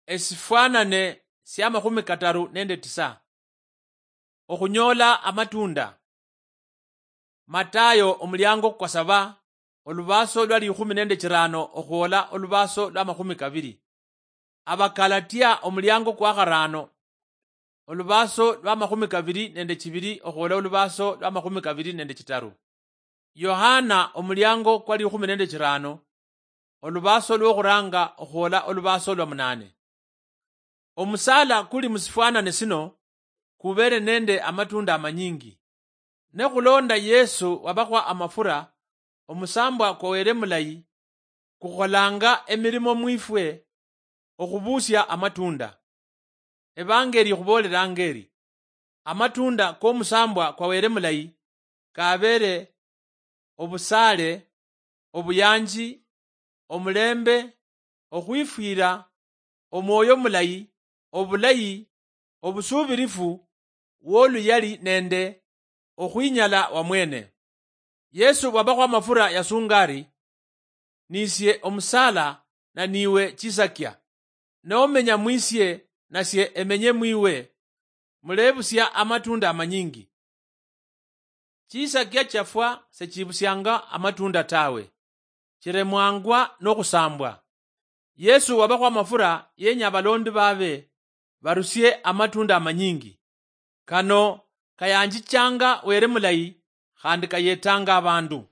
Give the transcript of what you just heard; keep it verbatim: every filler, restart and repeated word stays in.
Esifwanane sia makhumi kataru nende tisa. Okhunyoola amatunda. Matayo omuliango kwa saba, olubaaso lwa likhumi nende chirano okhwola olubaaso lwa makhumi kabiri. Abakalatia omuliango kwa kharano, olubaaso lwa makhumi kabiri nende chibiri okhwola olubaaso lwa makhumi kabiri nende chitaru. Yohana omuliango kwa likhumi nende chirano, olubaaso lwokhuranga okhwola olubaaso lwa munane. Omusaala kuli musifwanane sino kubeere nende amatunda amanyingi. Ne khulonda Yesu wabakhwa amafura, omusambwa kwa Wele mulayi kukholanga emirimo mwifwe okhubusia amatunda. Evangeli ikhuboolelanga eri, amatunda komusambwa kwa Wele mulayi kabeere obusaale, obuyanji, omulembe, okhwifwira, omwoyo mulayi, obulayi, obusuubirifu, woluyali nende okhwinyala wamwene. Yesu wabakhwa amafura yasunga ari, "Nisie omusaala na niwe chisakia. Nomenya mwisie nasie emenye mwiwe, mulebusia amatunda amanyingi." Chisakia chiafwa sechibusianga amatunda tawe, chiremwangwa nokhusambwa. Yesu wabakhwa amafura yenya abalondi babe barusie amatunda amanyingi. Kano kayanjichanga Wele mulayi khandi kayetanga abandu.